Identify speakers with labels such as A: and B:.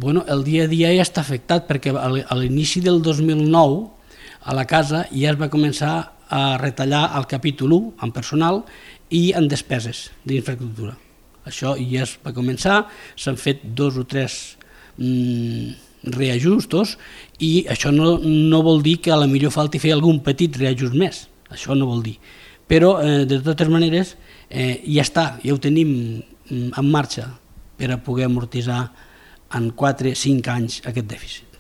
A: El dia a dia ja està afectat perquè a l'inici del 2009 a la casa ja es va començar a retallar el capítol 1 en personal i en despeses d'infraestructura. Això ja es va començar, s'han fet 2 o 3 reajustos i això no vol dir que a la millor falti fer algun petit reajust més, això no vol dir. Però de totes maneres ja està, ja ho tenim en marxa per a poder amortitzar en 4-5 anys aquest dèficit.